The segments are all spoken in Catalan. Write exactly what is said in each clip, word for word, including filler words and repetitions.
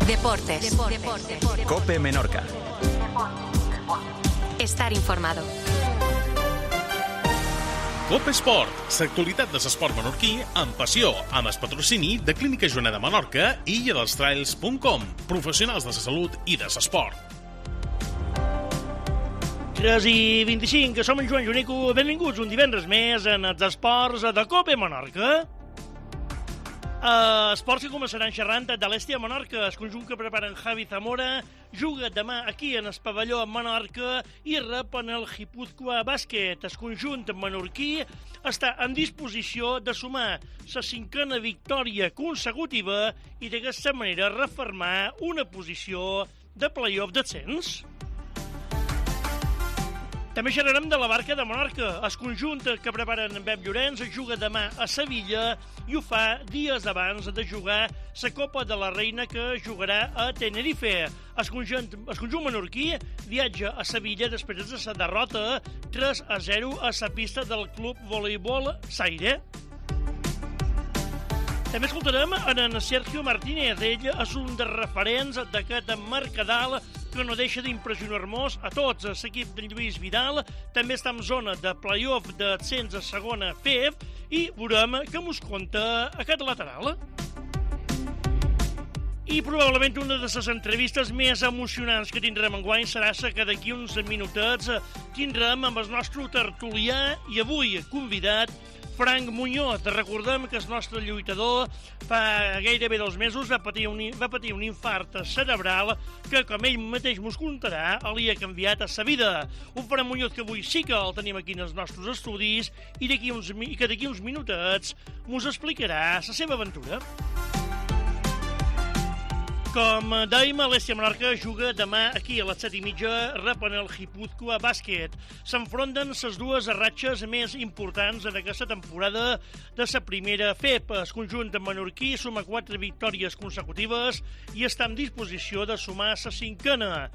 Deportes. Deportes. COPE Menorca. Estar informado. COPE Esport, l'actualitat de l'esport menorquí amb passió, amb el patrocini de Clínica Joaneda Menorca i illa dels trails punt com, professionals de la salut i de l'esport. tres i vint-i-cinc, som en Joan Jonico, benvinguts un divendres més en els esports de COPE Menorca. Uh, esports que començaran xerrant de l'Estia Menorca, el conjunt que preparen Javi Zamora, juga demà aquí en el pavelló a Menorca i rep en el Guipúzcoa Bàsquet. El conjunt menorquí està en disposició de sumar la cinquena victòria consecutiva i d'aquesta manera refermar una posició de play-off d'ascens. També xerrarem de la Barca de Menorca. El conjunt que preparen en Pep Llorenç juga demà a Sevilla i ho fa dies abans de jugar la Copa de la Reina que jugarà a Tenerife. El conjunt, el conjunt menorquí viatja a Sevilla després de la derrota tres a zero a la pista del club voleibol Saire. També escoltarem en Sergio Martínez. Ell és un dels referents d'aquest Mercadal que no deixa d'impressionar-nos a tots. L'equip de Lluís Vidal també està en zona de play-off d'ascens a segona F E F i veurem què mos conta aquest lateral. I probablement una de les entrevistes més emocionants que tindrem enguany serà la que d'aquí uns minutets tindrem amb el nostre tertulià i avui convidat Frank Muñoz. Recordem que el nostre lluitador fa gairebé dos mesos va patir un, va patir un infart cerebral que, com ell mateix mos contarà, li ha canviat a sa vida. Un Frank Muñoz que avui sí que el tenim aquí en els nostres estudis i d'aquí uns, que d'aquí uns minutets mos explicarà la seva aventura. Com dèiem, l'Estia Menorca juga demà aquí a les set i mitja, rep en el Guipúzcoa Bàsquet. S'enfronten les dues ratxes més importants en aquesta temporada de la primera F E P. El conjunt menorquí suma quatre victòries consecutives i està en disposició de sumar la cinquena.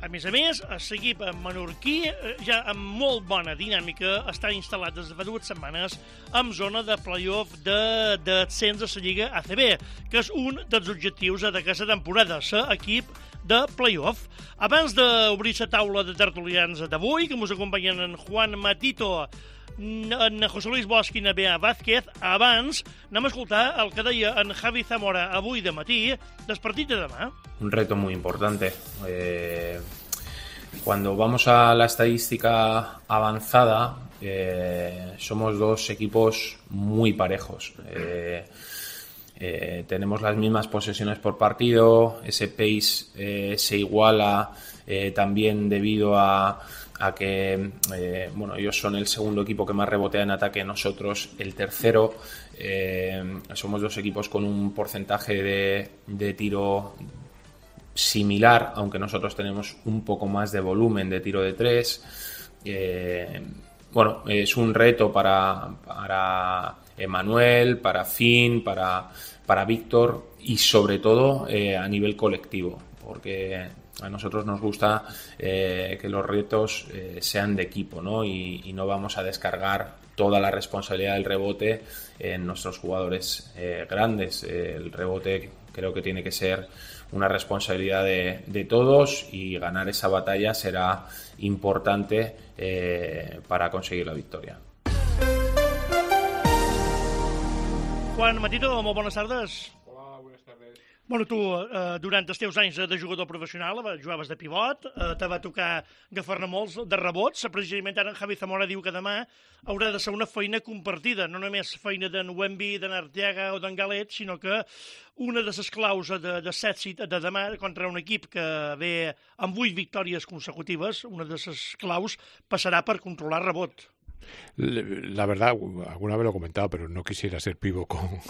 A més a més, l'equip menorquí, ja amb molt bona dinàmica, està instal·lat des de fa dues setmanes en zona de play-off d'ascens de la Lliga A C B, que és un dels objectius d'aquesta temporada, ser equip de play-off. Abans d'obrir la taula de tertulians d'avui, que ens acompanyen en Juan Matito, en José Luis Bosch i Nebea Vázquez, abans anem a escoltar el que deia en Javi Zamora avui de matí del partit de demà. Un reto muy importante. Eh, cuando vamos a la estadística avanzada, eh, somos dos equipos muy parejos. Eh, eh, tenemos las mismas posesiones por partido, ese pace eh, se iguala eh, también debido a a que eh, bueno, ellos son el segundo equipo que más rebotea en ataque, nosotros el tercero. Eh, somos dos equipos con un porcentaje de, de tiro similar, aunque nosotros tenemos un poco más de volumen de tiro de tres. Eh, bueno, es un reto para, para Emanuel, para Finn, para, para Víctor y sobre todo eh, a nivel colectivo, porque a nosotros nos gusta eh, que los retos eh, sean de equipo, ¿no? Y, y no vamos a descargar toda la responsabilidad del rebote en nuestros jugadores eh, grandes. Eh, el rebote creo que tiene que ser una responsabilidad de, de todos y ganar esa batalla será importante eh, para conseguir la victoria. Juan Matito, molt bones tardes. Bueno, tu, eh, durant els teus anys de jugador professional, jugaves de pivot, eh, te va tocar agafar-ne molts de rebots. Precisament ara en Javi Zamora diu que demà haurà de ser una feina compartida, no només feina d'en Wemby, d'en Arteaga o d'en Galet, sinó que una de les claus de, de set de demà contra un equip que ve amb vuit victòries consecutives, una de les claus passarà per controlar rebot. La verdad, alguna vez lo he comentado, pero no quisiera ser pivo con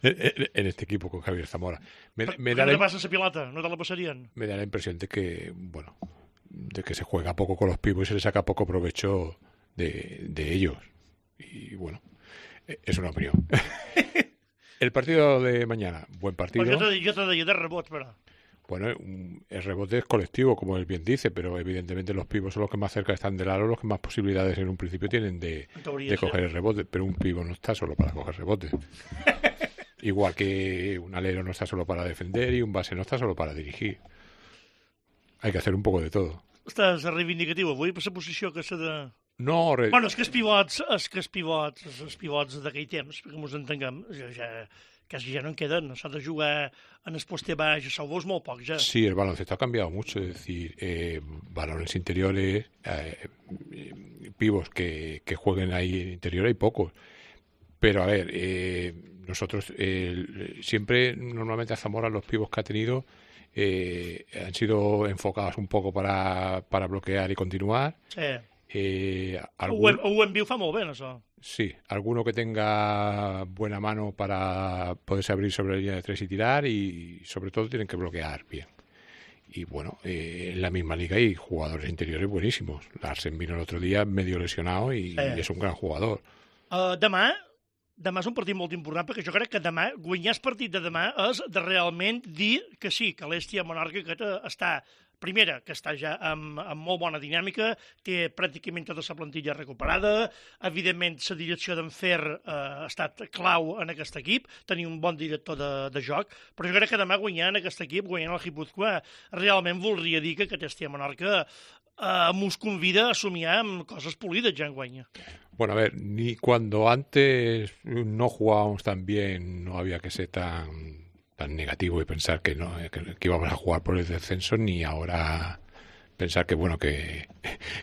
en este equipo con Javier Zamora. Me, me da ¿Qué la, te pasa esa pilota? ¿No te la pasarían? Me da la impresión de que, bueno, de que se juega poco con los pivos y se le saca poco provecho de, de ellos. Y bueno, es una opinión. El partido de mañana, buen partido. Pues yo te, yo te doy de rebot, pero... Bueno, el rebote es colectivo, como él bien dice, pero evidentemente los pivos son los que más cerca están del aro, los que más posibilidades en un principio tienen de, de coger el rebote, pero un pivo no está solo para coger rebote. Igual que un alero no está solo para defender y un base no está solo para dirigir. Hay que hacer un poco de todo. Estàs reivindicatiu avui per la posició que s'ha de... No, re... Bueno, és que els pivots, és que els pivots, els pivots d'aquell temps, perquè ens entenguem, ja, ja, quasi ja no en queden. S'ha de jugar en el poste baix, a salvos molt poc, ja. Sí, el baloncesto ha cambiado mucho. Es decir, eh, balones interiores, eh, pivos que, que jueguen ahí en interior hay pocos. Pero a ver, eh, nosotros eh, siempre, normalmente a Zamora, los pivos que ha tenido eh, han sido enfocados un poco para, para bloquear y continuar. Sí. Eh, algún... Ho hem vist fa molt bé, això. Sí, alguno que tenga buena mano para poderse abrir sobre la línea de tres y tirar, y sobre todo tienen que bloquear bien. Y bueno, eh, en la misma liga hay jugadores interiores buenísimos. Larsen vino el otro día medio lesionado y, sí. y es un gran jugador. Uh, demà, demà és un partit molt important, perquè jo crec que demà, guanyar el partit de demà és de realment dir que sí, que l'Hèstia Menorca que està... Primera, que està ja amb, amb molt bona dinàmica, té pràcticament tota la plantilla recuperada, evidentment la direcció d'en Fer eh, ha estat clau en aquest equip, tenir un bon director de, de joc, però jo crec que demà guanyant aquest equip, guanyant el Guipúzcoa, realment voldria dir que aquest Hèstia Menorca eh, mos convida a somiar amb coses polides ja en guanya. Bueno, a ver, ni cuando antes no jugábamos tan bien, no había que ser tan... tan negativo y pensar que no que, que íbamos a jugar por el descenso, ni ahora pensar que bueno que,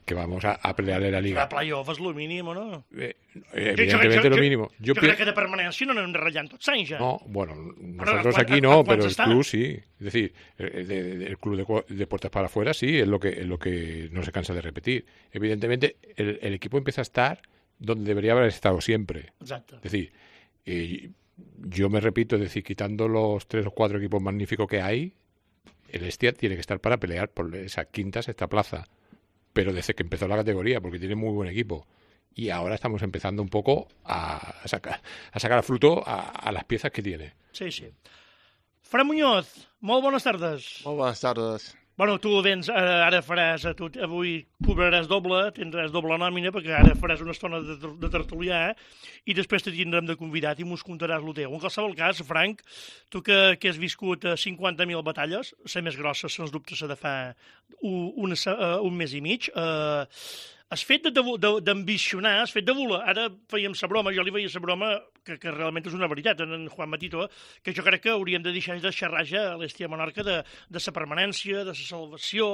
que vamos a, a pelearle la liga. La playoff és lo mínim, o no? Eh, evidentemente lo mínimo. Yo, yo, yo creo que de permanencia no anem ratllant tots anys ja. No, bueno, nosotros aquí no, pero el club sí. Es decir, el, el, el club de, de puertas para afuera sí, es lo que es lo que no se cansa de repetir. Evidentemente el, el equipo empieza a estar donde debería haber estado siempre. Exacto. Es decir, eh, yo me repito, es decir, quitando los tres o cuatro equipos magníficos que hay, el Hestia tiene que estar para pelear por esa quinta, sexta plaza. Pero desde que empezó la categoría, porque tiene muy buen equipo. Y ahora estamos empezando un poco a sacar a sacar fruto a, a las piezas que tiene. Sí, sí. Fran Muñoz, molt bones tardes. Molt bones tardes. Bueno, tu vens, ara faràs, tu avui cobraràs doble, tindràs doble nòmina, perquè ara faràs una estona de, de tertulià, eh? I després te tindrem de convidat i mos contaràs el teu. En qualsevol cas, Frank, tu que, que has viscut cinquanta mil batalles, la més grossa, sens dubte, la de fa un, un, un mes i mig, eh, has fet d'ambicionar, has fet de voler. Ara fèiem la broma, jo li feia la broma, que, que realment és una veritat, en Juan Matito, que jo crec que hauríem de deixar de xerrar-ja a l'Hèstia Menorca de, de la permanència, de la salvació,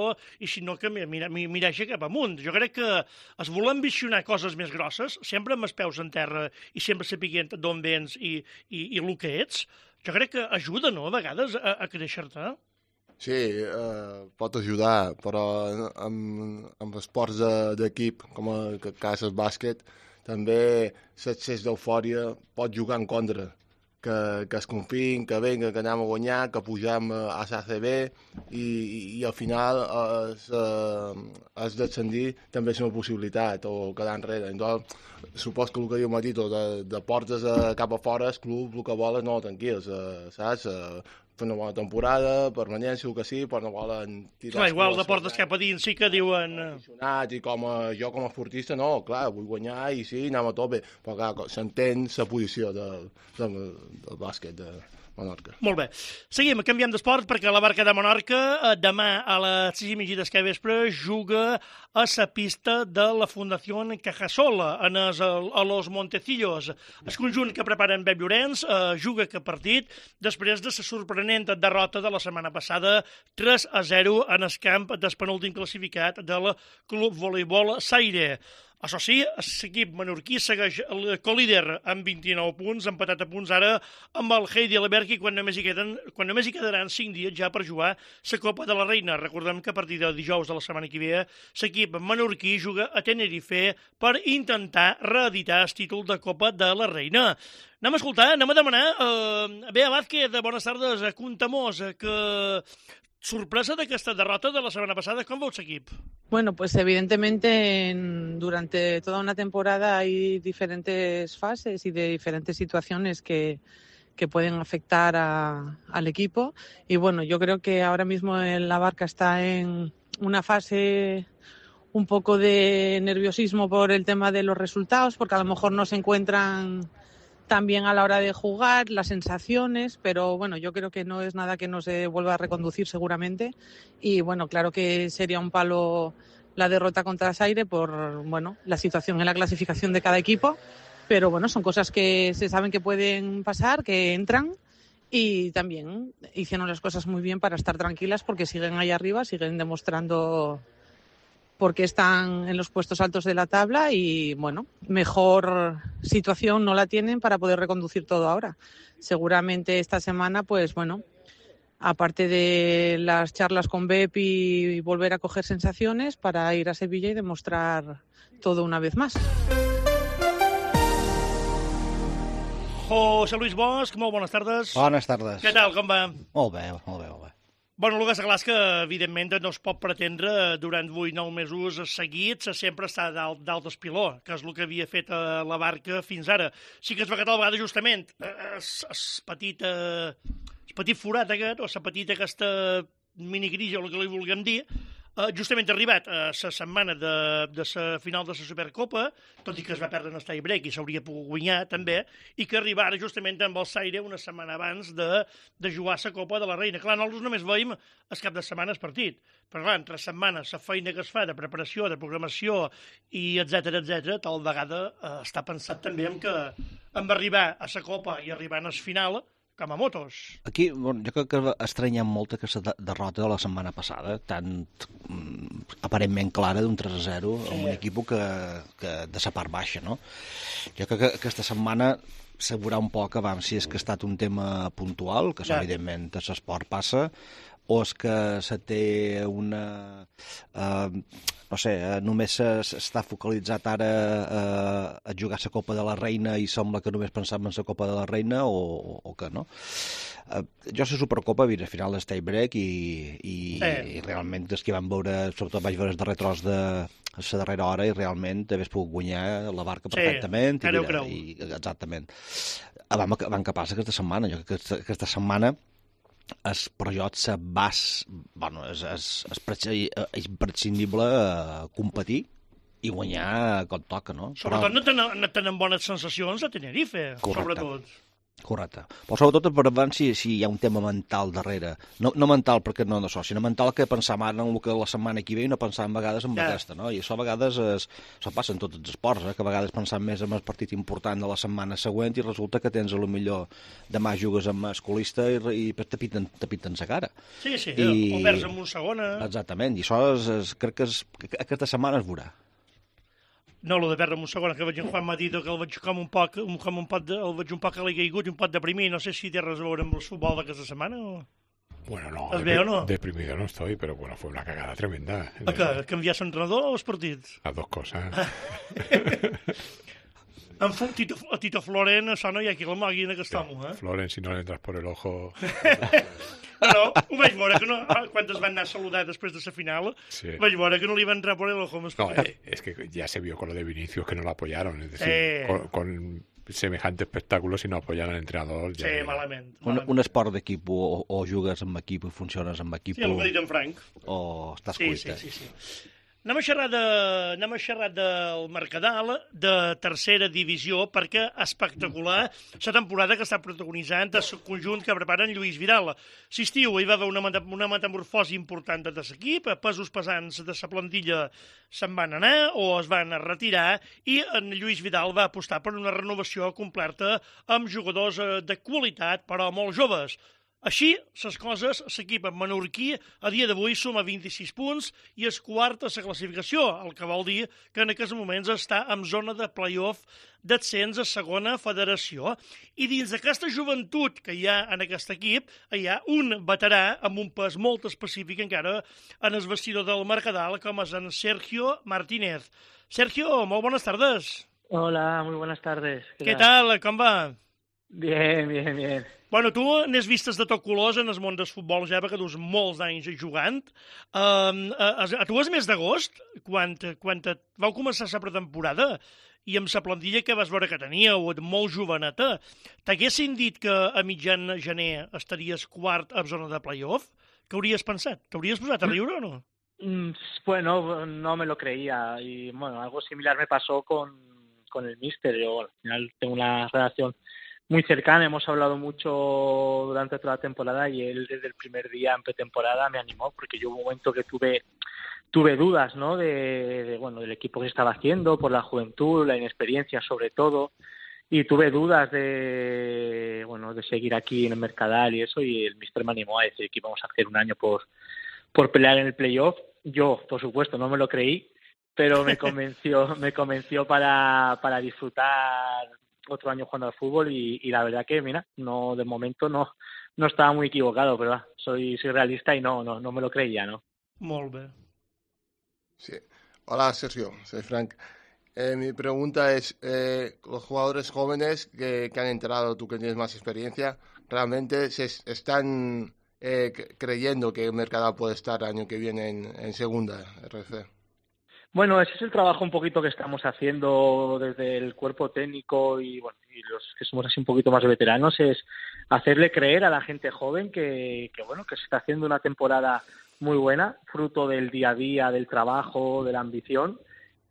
i si no que mirar-se cap amunt. Jo crec que es voler ambicionar coses més grosses, sempre amb els peus en terra i sempre sapiguent d'on vens i, i, i el que ets, jo crec que ajuda, no?, a vegades a, a créixer-te. Sí, eh, pot ajudar, però amb, amb esports d'equip, com el cas del bàsquet, també l'excés d'eufòria pot jugar en contra. Que, que es confien, que venga, que anem a guanyar, que pugem a l'A C B i, i, i al final es, es descendir també és una possibilitat, o quedar enrere. Entonces, supos que el que diu Matito, de, de portes a, cap a fora, el club, el que volen, no, tranquils, eh, saps? Eh, fer una bona temporada, permanència, el que sí, però no volen tirar... Clar, igual de portes cap a dins sí que diuen... I com a, jo com a esportista, no, clar, vull guanyar i sí, anem a tope, però clar, s'entén la posició del, del, del bàsquet de Menorca. Molt bé. Seguim, canviem d'esport, perquè la Barca de Menorca demà a les sis i mitja del vespre juga a la pista de la Fundació Cajasola, en es, a Los Montecillos. El conjunt que prepara en Pep Llorenç eh, juga aquest partit després de la sorprenent derrota de la setmana passada tres a zero en el camp del penúltim classificat del Club Voleibol Saire. Això sí, l'equip menorquí segueix el colíder amb vint-i-nou punts, empatat a punts ara amb el Heidi Alberghi quan només hi queden, quan només hi quedaran cinc dies ja per jugar la Copa de la Reina. Recordem que a partir de dijous de la setmana que ve l'equip menorquí juga a Tenerife per intentar reeditar el títol de Copa de la Reina. Anem a escoltar, anem a demanar eh, Bea Vázquez, bones tardes, a Contamós, que... sorpresa d'aquesta derrota de la semana pasada, ¿cómo va el equipo? Bueno, pues evidentemente en, durante toda una temporada hay diferentes fases y de diferentes situaciones que, que pueden afectar a, al equipo. Y bueno, yo creo que ahora mismo la Barca está en una fase un poco de nerviosismo por el tema de los resultados, porque a lo mejor no se encuentran también a la hora de jugar, las sensaciones, pero bueno, yo creo que no es nada que no se vuelva a reconducir seguramente. Y bueno, claro que sería un palo la derrota contra Zaire por, bueno, la situación en la clasificación de cada equipo, pero bueno, son cosas que se saben que pueden pasar, que entran, y también hicieron las cosas muy bien para estar tranquilas porque siguen ahí arriba, siguen demostrando por qué están en los puestos altos de la tabla y, bueno, mejor situación no la tienen para poder reconducir todo ahora. Seguramente esta semana, pues bueno, aparte de las charlas con Bepi y volver a coger sensaciones para ir a Sevilla y demostrar todo una vez más. José Luis Bosch, molt bones tardes. Bones tardes. Què tal, com va? Molt bé, molt bé, molt bé. Bueno, el que està clar és que, evidentment, no es pot pretendre durant vuit nou mesos seguits sempre estar dalt, dalt d'espiló, que és el que havia fet a la Barca fins ara. Sí que es veu que tal vegada, justament, es, es petit, eh, es petit forat aquest, o la petita aquesta minicrisi, o el que li vulguem dir, Uh, justament ha arribat a la setmana de, de la final de la Supercopa, tot i que es va perdre en el tie break i s'hauria pogut guanyar també, i que arribara justament amb el Zaire una setmana abans de, de jugar la Copa de la Reina. Clar, nosaltres només veiem el cap de setmana el partit, però clar, entre setmanes la feina que es fa de preparació, de programació i etcètera, etcètera, tal vegada uh, està pensat també en que hem d'arribar a la Copa i arribar al final com a motos. Aquí, bueno, jo crec que estranyem molt aquesta de derrota de la setmana passada, tan mm, aparentment clara d'un tres a zero sí. amb un equip que, que de la part baixa, no? Jo crec que aquesta setmana s'haurà un poc abans si és que ha estat un tema puntual, que ja. evidentment a l'esport passa, o és que se té una... Eh, no sé, només està focalitzat ara eh, a jugar la Copa de la Reina i sembla que només pensàvem en la Copa de la Reina o, o que no. Eh, jo la Supercopa he vist al final del tie break i, i, eh. i realment és que vam veure, sobretot vaig veure el darrer tros de la darrera hora i realment hagués pogut guanyar la Barca perfectament. Sí, i, mira, i, exactament. Vam, vam capaç aquesta setmana. Jo crec que aquesta, aquesta setmana és per jo bas, bueno, és, és, és imprescindible competir i guanyar com toca, no? Sobretot Però... no, tenen, no tenen bones sensacions a Tenerife, correcte, sobretot. Correcte. Però sobretot per davant si, si hi ha un tema mental darrere. No, no mental perquè no d'això, sinó mental que pensam ara en el que la setmana que ve i no pensam a vegades en ja. aquesta, no? I això a vegades es, això passa en tots els esports, eh? Que a vegades pensam més en el partit important de la setmana següent i resulta que tens a lo millor demà jugues amb masculista i, i te piten, te piten la cara. Sí, sí, I... o perds amb un segona. Exactament, i això és, és, crec que, és, que aquesta setmana es veurà. No, el de perdre amb un segon, que veig en Juan Matito, que el veig com un poc, com un pot de, el veig un poc a l'Igaigut i un pot deprimir. No sé si té res a veure amb el futbol d'aquesta setmana o... Bueno, no, ¿Es ve o no? Deprimido no estoy, pero bueno, fue una cagada tremenda. ¿A qué? ¿Canviar l'entrenador o els partits? Las dos cosas. En fu, Tito, a Tito Floren, això no hi ha qui la mogui en aquest home, eh? Floren, si no le entras por el ojo... Però ho vaig veure que no... Quan es van anar a saludar després de la final, sí. vaig veure que no li va entrar por el ojo. No, eh, es que ya se vio con lo de Vinicius que no lo apoyaron. Es decir, eh. con, con semejante espectáculo, si no apoyan al entrenador... Ja sí, malament. Un, malament. un esport d'equip o, o jugues amb equip i funciones amb equip... Sí, el que ha dit en Frank. O estàs sí, cuita. Sí, sí, sí. Anem a xerrar, de, anem a xerrar del Mercadal, de tercera divisió, perquè espectacular la temporada que està protagonitzant el conjunt que preparen Lluís Vidal. Si estiu hi va haver una, una metamorfosi important de l'equip, pesos pesants de la plantilla se'n van anar o es van retirar i en Lluís Vidal va apostar per una renovació completa amb jugadors de qualitat, però molt joves. Així, les coses, l'equip menorquí a dia d'avui suma vint-i-sis punts i és quart a la classificació, el que vol dir que en aquests moments està en zona de play-off d'ascens a segona federació. I dins d'aquesta joventut que hi ha en aquest equip, hi ha un veterà amb un pes molt específic encara en el vestidor del Mercadal, com és en Sergio Martínez. Sergio, molt bones tardes. Hola, muy buenas tardes. ¿Qué, ¿Qué tal? Com va? Bien, bien, bien. Bueno, tu n'has vistes de tot colors en el món del futbol ja, perquè dus molts anys jugant. Um, a, a tu és mes d'agost, quan, quan vau començar la pretemporada, i amb la plantilla que vas veure que teníeu, molt joveneta, t'haguessin dit que a mitjan gener estaries quart a zona de play-off? Què hauries pensat? T'hauries posat a riure o no? Mm, bueno, no me lo creía. Y bueno, algo similar me pasó con, con el míster. Yo, bueno, al final tengo una relación muy cercana, hemos hablado mucho durante toda la temporada y él desde el primer día en pretemporada me animó, porque yo hubo un momento que tuve tuve dudas, ¿no? De, de bueno, del equipo que se estaba haciendo, por la juventud, la inexperiencia sobre todo, y tuve dudas de bueno de seguir aquí en el Mercadal y eso, y el míster me animó a decir que íbamos a hacer un año por por pelear en el playoff. Yo, por supuesto, no me lo creí, pero me convenció me convenció para para disfrutar otro año jugando al fútbol y, y la verdad que, mira, no de momento no no estaba muy equivocado, pero ah, soy soy realista y no no no me lo creía, ¿no? Molt bé. Sí. Hola, Sergio, soy Frank. Eh, mi pregunta es, eh, los jugadores jóvenes que, que han entrado, tú que tienes más experiencia, ¿realmente se están eh, creyendo que el Mercadal puede estar el año que viene en, en segunda R F? Bueno, ese es el trabajo un poquito que estamos haciendo desde el cuerpo técnico y bueno y los que somos así un poquito más veteranos, es hacerle creer a la gente joven que, que bueno que se está haciendo una temporada muy buena, fruto del día a día, del trabajo, de la ambición.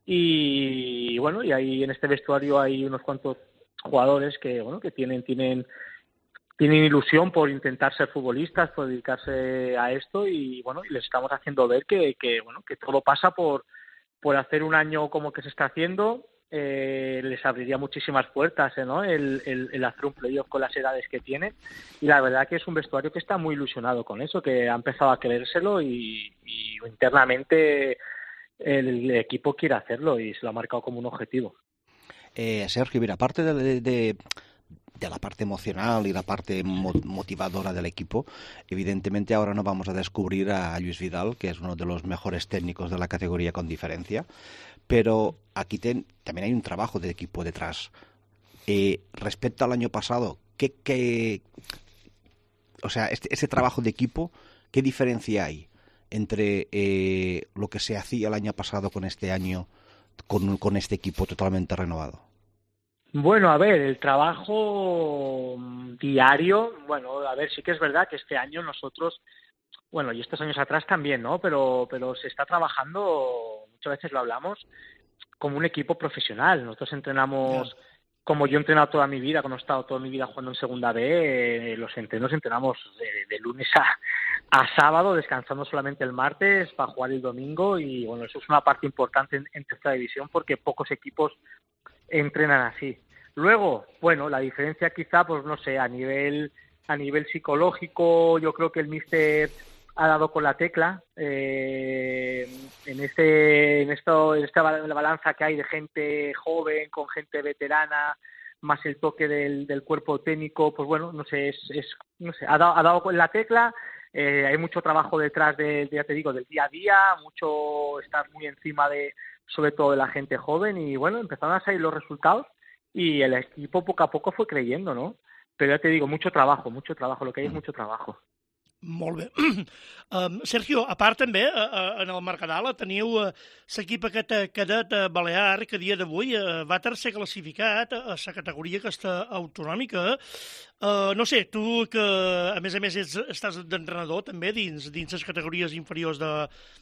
Y bueno, y ahí en este vestuario hay unos cuantos jugadores que bueno que tienen tienen tienen ilusión por intentar ser futbolistas, por dedicarse a esto y bueno, y les estamos haciendo ver que, que bueno que todo pasa por por hacer un año como que se está haciendo. Eh, les abriría muchísimas puertas, ¿eh, ¿no? El, el, el hacer un playoff con las edades que tienen, y la verdad que es un vestuario que está muy ilusionado con eso, que ha empezado a creérselo y, y internamente el equipo quiere hacerlo y se lo ha marcado como un objetivo. Eh, Sergio, mira, aparte de, de, de la parte emocional y la parte motivadora del equipo, evidentemente ahora no vamos a descubrir a Luis Vidal, que es uno de los mejores técnicos de la categoría con diferencia, pero aquí ten, también hay un trabajo de equipo detrás. Eh, respecto al año pasado, ¿qué, qué, o sea, este, ese trabajo de equipo, ¿qué diferencia hay entre eh, lo que se hacía el año pasado con este año, con, con este equipo totalmente renovado? Bueno, a ver, el trabajo diario, bueno, a ver, sí que es verdad que este año nosotros, bueno, y estos años atrás también, ¿no? Pero, pero se está trabajando, muchas veces lo hablamos, como un equipo profesional. Nosotros entrenamos, yeah. como yo he entrenado toda mi vida, como he estado toda mi vida jugando en Segunda B, eh, los entrenos entrenamos de, de lunes a, a sábado, descansando solamente el martes para jugar el domingo, y bueno, eso es una parte importante en, en tercera división porque pocos equipos entrenan así. Luego, bueno, la diferencia quizá, pues no sé, a nivel a nivel psicológico, yo creo que el míster ha dado con la tecla eh, en este en esto en esta balanza que hay de gente joven con gente veterana, más el toque del, del cuerpo técnico, pues bueno, no sé, es, es no sé, ha dado, ha dado con la tecla. Eh, hay mucho trabajo detrás de, de, ya te digo, del día a día, mucho estar muy encima de, sobre todo de la gente joven, y bueno, empezaron a salir los resultados y el equipo poco a poco fue creyendo, ¿no? Pero ya te digo, mucho trabajo, mucho trabajo, lo que hay es mucho trabajo. Molt bé. Um, Sergio, a part també, uh, en el Mercadal teniu uh, l'equip aquest cadet uh, balear que a dia d'avui uh, va tercer classificat a la categoria aquesta autonòmica. Uh, no sé, tu que a més a més ets, estàs d'entrenador també dins, dins les categories inferiors de,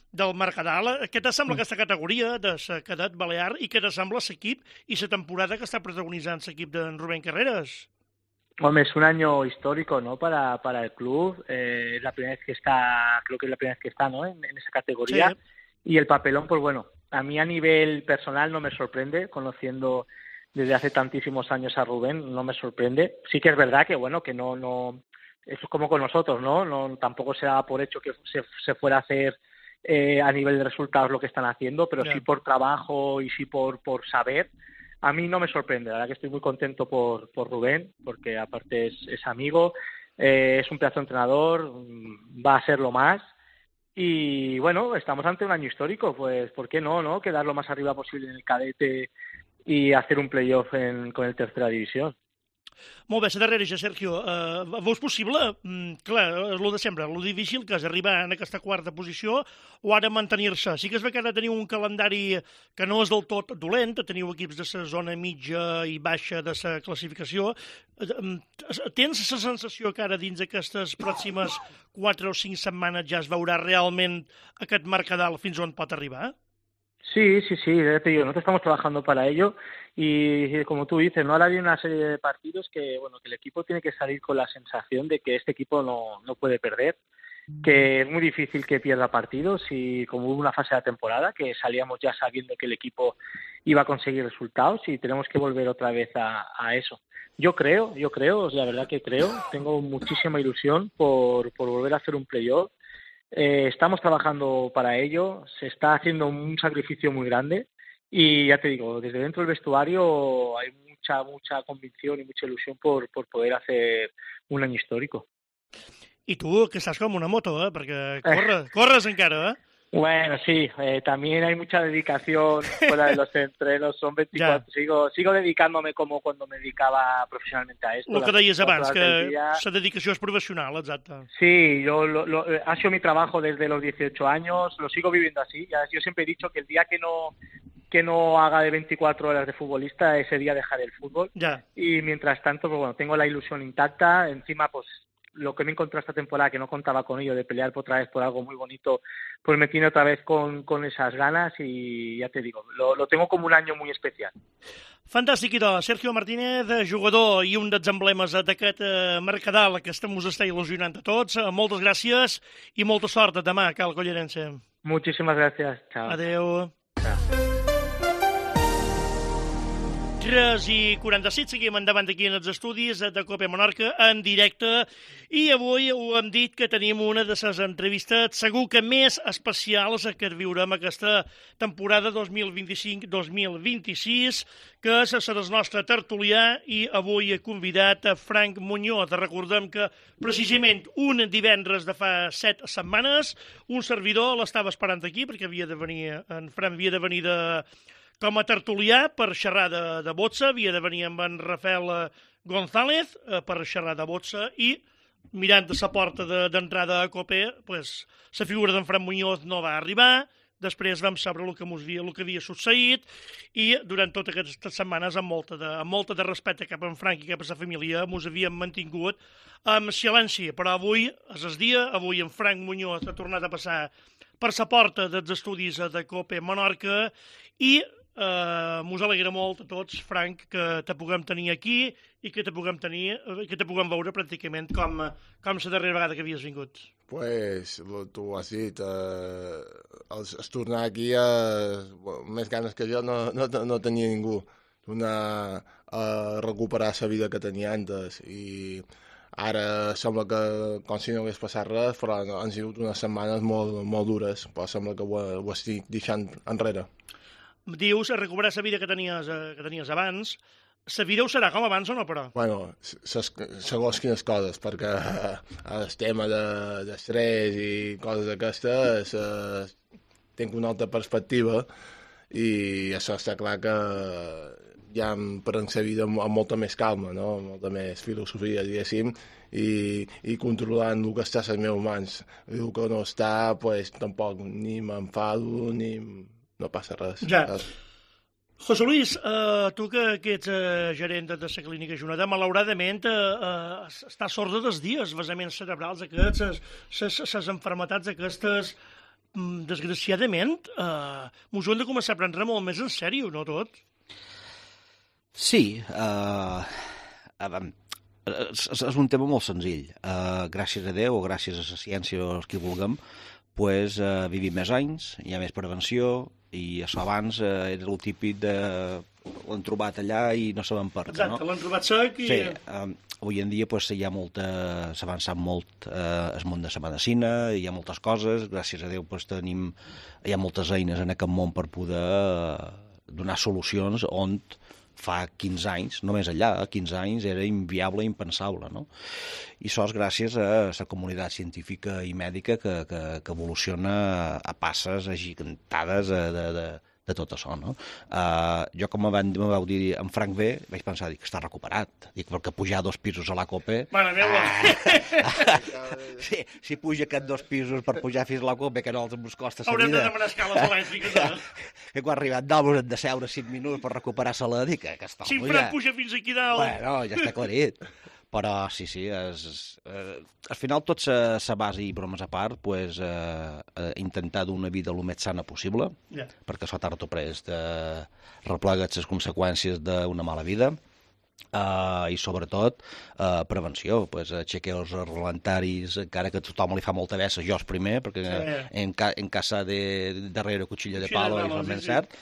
del Mercadal, què t'assembla mm. aquesta categoria de la cadet balear i què t'assembla l'equip i la temporada que està protagonitzant l'equip d'en Rubén Carreras? Hombre, es un año histórico, ¿no? Para, para el club. Eh, es la primera vez que está, creo que es la primera vez que está, ¿no? En, en esa categoría. Sí. Y el papelón, pues bueno, a mí a nivel personal no me sorprende, conociendo desde hace tantísimos años a Rubén, no me sorprende. Sí que es verdad que, bueno, que no, no, eso es como con nosotros, ¿no? No tampoco se da por hecho que se, se fuera a hacer eh, a nivel de resultados lo que están haciendo, pero yeah. sí por trabajo y sí por, por saber. A mí no me sorprende, la verdad que estoy muy contento por, por Rubén, porque aparte es, es amigo, eh, es un pedazo de entrenador, va a ser lo más, y bueno, estamos ante un año histórico, pues ¿por qué no, no? Quedar lo más arriba posible en el cadete y hacer un playoff en, con el tercera división. Molt bé, la darrera, ja, Sergio. Uh, veus possible? Mm, clar, és el de sempre, el difícil que és arribar en aquesta quarta posició o ara mantenir-se. Sí que es ve que ara teniu un calendari que no és del tot dolent, teniu equips de la zona mitja i baixa de la classificació. Tens la sensació que ara dins d'aquestes pròximes quatre o cinc setmanes ja es veurà realment aquest Mercadal fins on pot arribar? Sí, sí, sí, ya te digo, nosotros estamos trabajando para ello y como tú dices, ¿no? Ahora hay una serie de partidos que, bueno, que el equipo tiene que salir con la sensación de que este equipo no, no puede perder, que es muy difícil que pierda partidos y como hubo una fase de la temporada que salíamos ya sabiendo que el equipo iba a conseguir resultados y tenemos que volver otra vez a, a eso. Yo creo, yo creo, la verdad que creo, tengo muchísima ilusión por, por volver a hacer un playoff. Eh, estamos trabajando para ello, se está haciendo un sacrificio muy grande y ya te digo, desde dentro del vestuario hay mucha, mucha convicción y mucha ilusión por, por poder hacer un año histórico. I tu, que estàs com una moto, eh? Perquè corre, corres encara, eh? Bueno, sí, eh, también hay mucha dedicación fuera de los entrenos, son veinticuatro, ya. sigo sigo dedicándome como cuando me dedicaba profesionalmente a esto. Lo que deies abans, que la dedicació és professional, exacte. Sí, yo lo, lo, ha sido mi trabajo desde los dieciocho años, lo sigo viviendo así. Yo siempre he dicho que el día que no que no haga de veinticuatro horas de futbolista, ese día dejaré el fútbol. Ya. Y mientras tanto, pues bueno, tengo la ilusión intacta, encima pues lo que me encontré esta temporada, que no contaba con ello, de pelear por otra vez por algo muy bonito, pues me tiene otra vez con, con esas ganas y ya te digo, lo, lo tengo como un año muy especial. Fantàstic, idò. Sergio Martínez, jugador i un dels emblemes d'aquest eh, Mercadal que estem, us està il·lusionant a tots. Eh, moltes gràcies i molta sort demà, Cal Collerense. Muchísimas gracias. Chao. Adeu. Chao. tres i quaranta-set, seguim endavant aquí en els estudis de Cope Menorca en directe i avui ho hem dit que tenim una de les entrevistes segur que més especials que viurem aquesta temporada dos mil vint-i-cinc dos mil vint-i-sis, que és la del nostre tertulià i avui he convidat a Frank Muñoz. Recordem que precisament un divendres de fa set setmanes un servidor l'estava esperant aquí perquè havia de venir, en Frank havia de venir de com a tertulià per xerrar de, de boxa, havia de venir amb en Rafael González eh, per xerrar de boxa i mirant de la porta d'entrada de, a Cope, pues, la figura d'en Fran Muñoz no va arribar, després vam saber el que, havia, el que havia succeït i durant totes aquestes setmanes amb molta de, amb molta de respecte cap a en Frank i cap a la família mos havíem mantingut amb silenci, però avui és el dia, avui en Frank Muñoz ha tornat a passar per la porta dels estudis de Cope Menorca i Uh, mos alegra molt a tots, Frank, que te puguem tenir aquí i que te puguem tenir, que te puguem veure pràcticament com, com la darrera vegada que havies vingut. Pues, tu ho has dit, uh, els, els tornar aquí, uh, més ganes que jo no, no, no tenia ningú. Tornar a recuperar la vida que tenia antes i ara sembla que com si no hagués passat res, però han sigut unes setmanes molt, molt dures, però sembla que ho, ho estic deixant enrere. Dius, a recuperar la vida que tenies, que tenies abans. La vida ho serà com abans o no, però? Bueno, segons quines coses, perquè el tema d'estrès i coses d'aquestes eh, tinc una altra perspectiva i això està clar que ja em prenc la vida amb, amb molta més calma, no? Amb molta més filosofia, diguéssim, i, i controlant el que està a les meves mans. I el que no està, pues, tampoc ni m'enfado ni... no passa res. Ja. José Luis, uh, tu que, que ets uh, gerent de la clínica Juneda, malauradament uh, uh, estàs sorda dels dies, vessaments cerebrals aquests, les enfermetats aquestes, um, desgraciadament, uh, mos ho hem de començar a prendre molt més en sèrio, no tot? Sí, uh, uh, és, és un tema molt senzill. Uh, gràcies a Déu o gràcies a la ciència o els que vulguem, pues, uh, vivim més anys, hi ha més prevenció, i això abans eh, era el típic de l'han trobat allà i no sabem per què, no? Exacte, l'han trobat sec i... Sí, eh, avui en dia pues, hi ha molta... s'ha avançat molt eh, el món de la medicina, hi ha moltes coses, gràcies a Déu pues, tenim... hi ha moltes eines en aquest món per poder eh, donar solucions on fa quinze anys, només allà, quinze anys, era inviable, impensable, no? I això és gràcies a la comunitat científica i mèdica que, que, que evoluciona a passes agigantades de, de, de, de tot això, no? Uh, jo, com me vau dir en Frank ve, vaig pensar, dic, està recuperat. Dic, perquè pujar dos pisos a la Cope... Mare meva! Ah, sí, si puja aquests dos pisos per pujar fins a la Cope, que no els ens costa la vida... Haurem de demanar escales elèctriques, eh? Que quan ha arribat dalt hem de seure cinc minuts per recuperar-se-la, dic que està si en Frank puja fins aquí dalt... Bueno, ja està aclarit. Però sí, sí, és, eh, al final tot se, se basa, i bromes a part, pues, eh, eh, intentar dur una vida el més sana possible, Yeah. perquè això tard o prest eh, replega les conseqüències d'una mala vida, eh, i sobretot eh, prevenció, pues, aixecar els relentaris, encara que a tothom li fa molta vessa, jo és primer, perquè Sí. en, ca, en casa de darrere cuchillo de Cuchillo de palo, palo, i sí, ben sí. cert,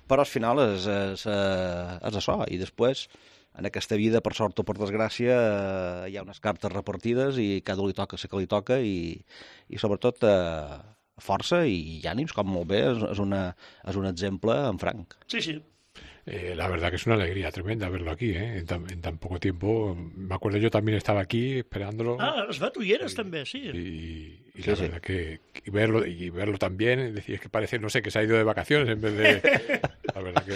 però al final és, és, eh, és això, i després en aquesta vida, per sort o per desgràcia, eh, hi ha unes cartes repartides i cada un li toca el que li toca i, i sobretot eh, força i ànims, com molt bé, és, és, una, és un exemple en franc. Sí, sí. Eh, la verdad que es una alegría tremenda verlo aquí, ¿eh? En tan, en tan poco tiempo. Me acuerdo, yo también estaba aquí esperándolo. Ah, es va, tu hi eres, també, sí. Y, y Sí, la sí. verdad que y verlo y verlo también, es decir, es que parece, no sé, que se ha ido de vacaciones en vez de... La verdad que...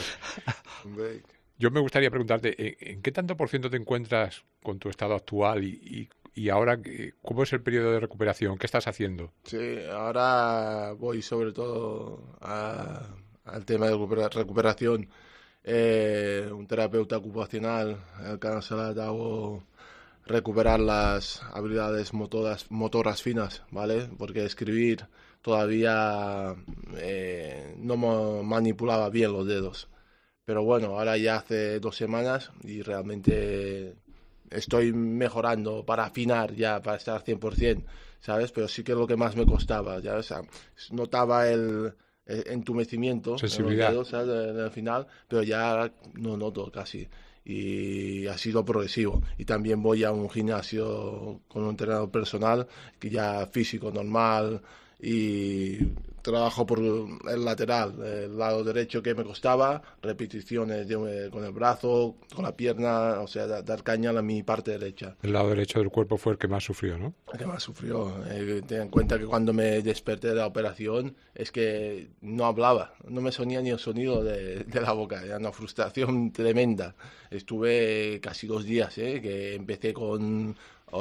Hombre, Yo me gustaría preguntarte, ¿en, en qué tanto por ciento te encuentras con tu estado actual y, y, y ahora eh, cómo es el periodo de recuperación? ¿Qué estás haciendo? sí, ahora voy sobre todo a- al tema de recupera- recuperación. Eh, un terapeuta ocupacional, el que nos ha dado recuperar las habilidades motoras, motoras finas, ¿vale? Porque escribir todavía eh, no me manipulaba bien los dedos. Pero bueno, ahora ya hace dos semanas y realmente estoy mejorando para afinar ya, para estar cien por ciento, ¿sabes? Pero sí que es lo que más me costaba, ya, o sea, notaba el, el entumecimiento Sensibilidad. en los dedos, ¿sabes? En el final, pero ya no noto casi. Y ha sido progresivo. Y también voy a un gimnasio con un entrenador personal, que ya físico normal, y trabajo por el lateral, el lado derecho que me costaba, repeticiones de- con el brazo, con la pierna, o sea, da- dar caña a mi parte derecha. El lado derecho del cuerpo fue el que más sufrió, ¿no? Que más sufrió. Eh, ten en cuenta que cuando me desperté de la operación es que no hablaba, no me sonía ni el sonido de, de la boca, era una frustración tremenda. Estuve casi dos días, ¿eh? Que empecé con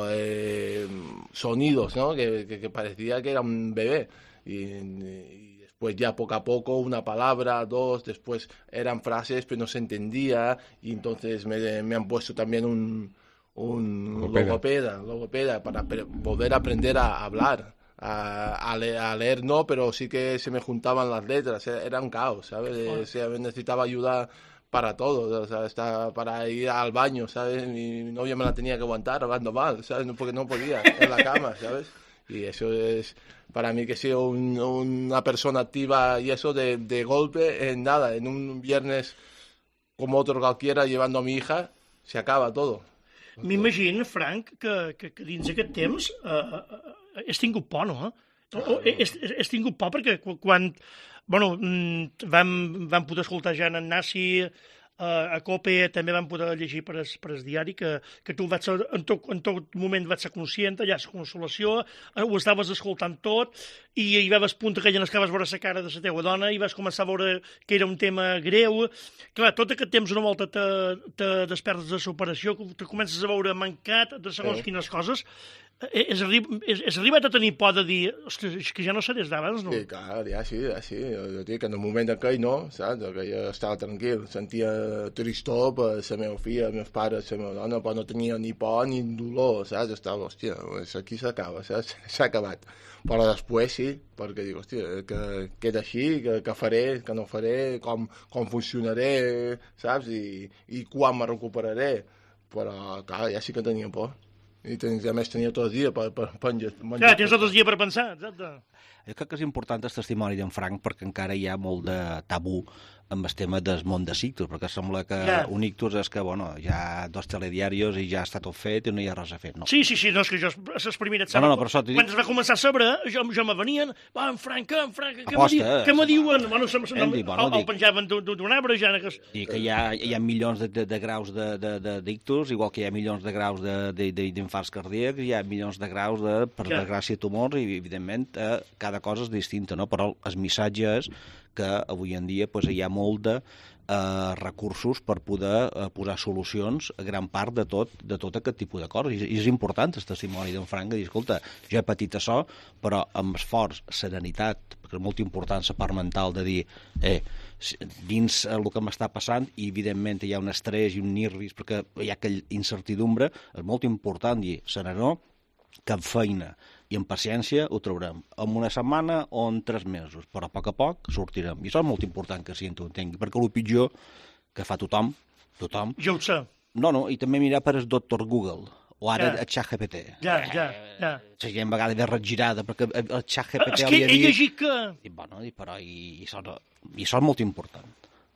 eh, sonidos, ¿no? Que, que, que parecía que era un bebé. Y, y después ya poco a poco, una palabra, dos, después eran frases, pero no se entendía, y entonces me, me han puesto también un, un Logopeda. logopeda, logopeda para pre- poder aprender a hablar. A, a, le- a leer no, pero sí que se me juntaban las letras, era era un caos, ¿sabes? Eh, o sea, necesitaba ayuda para todo, o sea, hasta para ir al baño, ¿sabes? Mi novia me la tenía que aguantar hablando mal, ¿sabes? No, porque no podía, en la cama, ¿sabes? Y eso es, para mí que he sido un- una persona activa y eso de, de golpe, en nada, en un viernes como otro cualquiera llevando a mi hija, se acaba todo. M'imagino, Frank, que, que, que dins aquest temps eh, eh, has tingut por, no? O, o, has, has tingut por perquè qu- quan bueno, mm, vam, vam poder escoltar ja en Nasi, eh, a COPE també vam poder llegir per es, per es diari que, que tu vaig ser, en, tot, en tot moment vaig ser conscient, allà la consolació, eh, ho estaves escoltant tot, i hi vas punt aquella en què vas veure la cara de la teva dona i vas començar a veure que era un tema greu. Clar, tot aquest temps una volta te, te despertes de l'operació, te comences a veure mancat de segons Sí. quines coses. Eh, Has, arri has, has arribat a tenir por de dir, ostres, és que ja no sé des d'abans, no? Sí, clar, ja sí, ja sí. Jo dic que en el moment aquell no, saps? Que jo estava tranquil, sentia tristor per la meva filla, els meus pares, la meva dona, però no tenia ni por ni dolor, saps? Estava, hòstia, pues aquí s'acaba, saps? S'ha acabat. Però després sí, perquè dic, hòstia, que queda així, que, que faré, que no faré, com, com funcionaré, saps? I, i quan me recuperaré. Però, clar, ja sí que tenia por. I ten, a més tenia tot el dia per, per, per menjar. Clar, tens tot el dia per pensar, exacte. Jo crec que és important el testimoni d'en Frank perquè encara hi ha molt de tabú amb el tema del món de ictus, perquè sembla que Ja. un ictus és que, bueno, hi ha dos telediaris i ja està tot fet i no hi ha res a fer. No. Sí, sí, sí, no, és que jo les primeres... No, no, no, per això t'ho dic. Quan es va començar a saber, jo, jo me venien, va, en Frank, en Frank, què me, Aposta, diu, eh? què me diuen? Bueno, se, se, Hem no, dit, bueno, el, el dic. penjaven d'un d'un arbre, ja... Que... I que hi ha, hi ha milions de, de, de graus de, de, de d'ictus, igual que hi ha milions de graus de, de, de, d'infarts cardíacs, hi ha milions de graus de, per Ja. desgràcia, tumors, i evidentment eh, cada cosa és distinta, no? Però el missatge és que avui en dia pues, hi ha molt de eh, recursos per poder eh, posar solucions a gran part de tot, de tot aquest tipus de coses. I, i és important el testimoni d'en Frank de dir, escolta, jo he patit això, però amb esforç, serenitat, perquè és molt important la part mental de dir, eh, dins el que m'està passant, i evidentment hi ha un estrès i un nervis, perquè hi ha aquella incertidumbre, és molt important dir, serenor, que amb feina i amb paciència ho traurem. En una setmana o en tres mesos, però a poc a poc sortirem. I això és molt important que si tu entengui, perquè el pitjor que fa tothom, tothom... Jo ho sé. No, no, i també mirar per el doctor Google, o ara Ja. el ChatGPT. Ja, ja, ja. La gent a vegades ve regirada, perquè el ChatGPT És que hauria he dit... llegit que... I, bueno, i, però i, i, això, no- i això és molt important.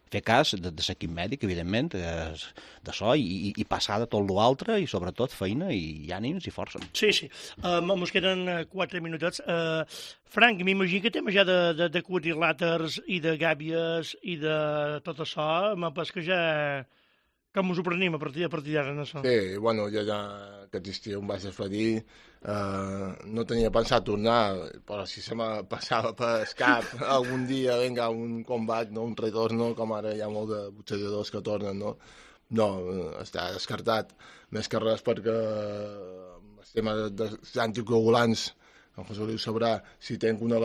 Fer cas de, de l'equip mèdic, evidentment, és d'això, i, i, i passar de tot l'altre, i sobretot feina, i ànims i força. Sí, sí. Uh, mos queden uh, quatre minutets. Uh, Frank, m'imagino que tema ja de, de, de quadrilàters i de gàbies i de tot això, m'ha pas que ja... Com us ho prenim a partir, a partir d'ara, no això? Sí, bueno, jo ja que estiu em vaig despedir, eh, no tenia pensat tornar, però si se me passava per cap algun dia, vinga, un combat, no, un retorno, com ara hi ha molt de boxejadors que tornen, no? No, està descartat, més que res perquè el tema dels anticoagulants, en José Luis sabrà, si tenc una,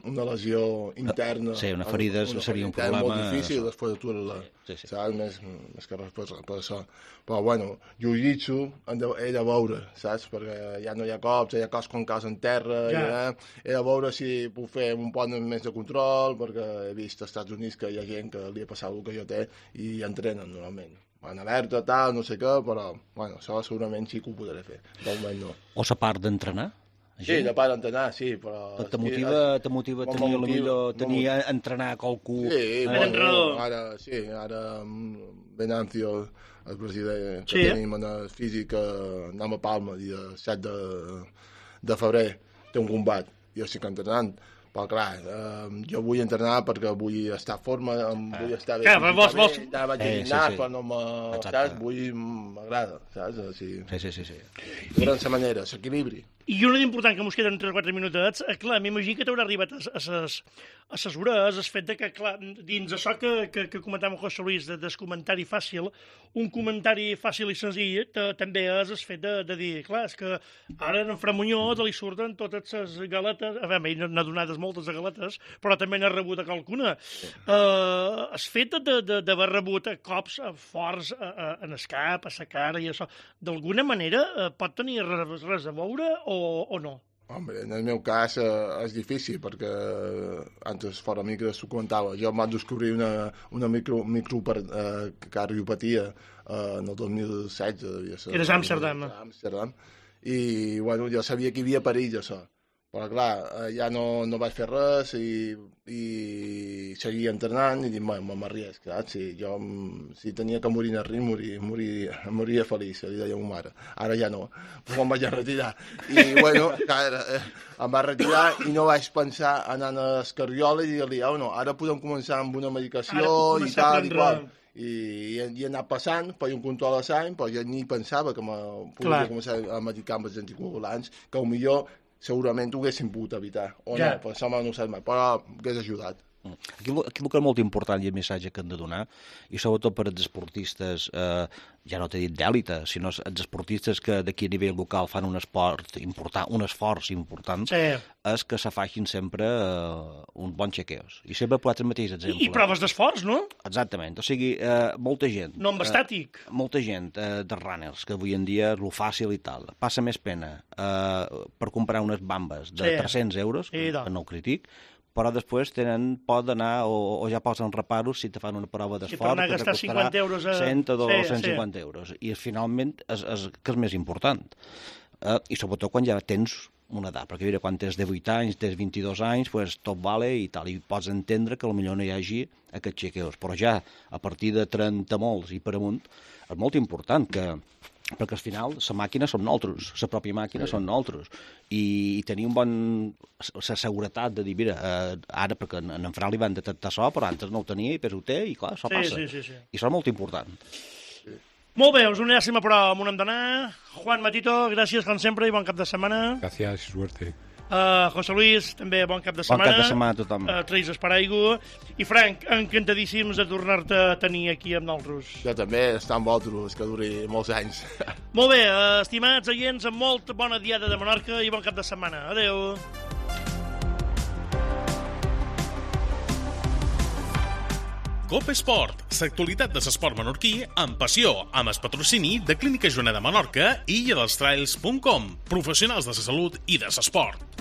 una lesió interna... Sí, una ferida una seria un ferida problema... molt difícil després d'aturar-la, Sí, sí. saps? Més, més que res per, per això. Però, bueno, jiu-jitsu he de, he de veure, saps? Perquè ja no hi ha cops, hi ha cops quan caus en terra, Ja. ja. He de veure si puc fer un pont més de control, perquè he vist als Estats Units que hi ha gent que li ha passat el que jo té i entrenen normalment. Van alerta, tal, no sé què, però, bueno, això segurament sí que ho podré fer. De moment no. O la part d'entrenar? Sí, de part d'entrenar, sí, però... Te motiva, te motiva M'ho tenir, motiva, millor, m'ho tenir motiva. entrenar qualcú... Sí, eh, bueno, entrenador. ara, sí, ara mm, Venancio, el president que Sí. tenim en el físic, eh, anem a Palma, dia set de, de febrer, té un combat, jo estic entrenant, però clar, eh, jo vull entrenar perquè vull estar en forma, em vull estar bé Clar, vols- vols- físicament, ara vaig a Eh, sí, gimnàs, sí. però no me... Exacte. Saps? Vull... m'agrada, saps? Així, Sí, sí, sí, sí. de gran manera, s'equilibri. I una d'important que mos queden tres o quatre minutets, eh, clar, m'imagino que t'haurà arribat a, a, ses, a ses hores el fet de que, clar, dins això que, que, que comentàvem amb José Luis, de, del comentari fàcil, un comentari fàcil i senzill te, també és el fet de, de dir, clar, és que ara en Fran Muñoz li surten totes les galetes, a veure, ell n'ha donades moltes de galetes, però també n'ha rebut a qualcuna. Sí. Uh, el fet de- de- d'haver rebut cops eh, forts a, a, en el cap, a la cara i això, d'alguna manera eh, pot tenir res, res a veure o, o no? Home, en el meu cas eh, és difícil perquè eh, antes fora micro s'ho comentava. Jo em vaig descobrir una, una micro, micro per, eh, cardiopatia eh, en el dos mil setze. Devia ser, Eres a Amsterdam. A Amsterdam. I bueno, jo sabia que hi havia perill això. Però clar, eh, ja no, no vaig fer res i, i seguia entrenant i dic, bueno, m'arriesc, saps? Si jo mm, si tenia que morir en el ring, morir, morir, moria feliç, li deia a ma mare. Ara ja no, em vaig a retirar. I bueno, clar, eh, em vaig retirar i no vaig pensar anar al cardiòleg i dir-li, oh, no, ara podem començar amb una medicació Ara puc i començar a tal i prendre- qual. I, i, i he anat passant, per un control de sang, però jo ni pensava que me podia Clar. començar a medicar amb els anticoagulants, que millor segurament ho haguéssim pogut evitar, o Ja. no, però això no ho sé mai, però hagués ajudat. Aquí, el- aquí el que és molt important i el missatge que hem de donar, i sobretot per als esportistes, eh, ja no t'he dit d'èlite, sinó els esportistes que d'aquí a nivell local fan un esport important, un esforç important, Sí. és que se facin sempre eh, uns bons chequeos. I sempre posat el mateix exemple. I, i proves d'esforç, no? Exactament. O sigui, eh, molta gent... No amb eh, estàtic. molta gent eh, de runners, que avui en dia és lo fàcil i tal, passa més pena eh, per comprar unes bambes de Sí. tres-cents euros, I que tant. no ho critic, però després tenen por d'anar o, o ja posen reparos si te fan una prova per d'esforç anar a que gastar costarà cinquanta euros a- cent o Sí, cent sí. cinquanta euros. I finalment és, és, que és més important. Eh, I sobretot quan ja tens una edat, perquè mira, quan tens divuit anys, tens vint-i-dos anys, pues, tot vale i tal, i pots entendre que potser no hi hagi aquests chequeos, però ja a partir de trenta molts i per amunt és molt important que perquè al final la màquina som nosaltres, la pròpia màquina sí. són nosaltres, i, i tenir un bon... la seguretat de dir, mira, eh, ara perquè en, en Fran li van detectar això, però antes no ho tenia i després ho té, i clar, això Sí, passa. sí, sí, sí. I això és molt important. Molt bé, us uniràssim a prova on hem d'anar. Juan Matito, gràcies com sempre i bon cap de setmana. Gracias y suerte. Uh, José Luis, també bon cap de Bon setmana. cap de setmana a tothom. Uh, Treis Esparaigo. I Frank, encantadíssims de tornar-te a tenir aquí amb nosaltres. Jo també està amb vosaltres, que duri molts anys. Molt bé, uh, estimats oients, amb molt bona diada de Menorca i bon cap de setmana. Adeu. Cope Esport, l'actualitat de l'esport menorquí amb passió, amb el patrocini de Clínica Joana de Menorca i illa dels trails punt com, professionals de la salut i de l'esport.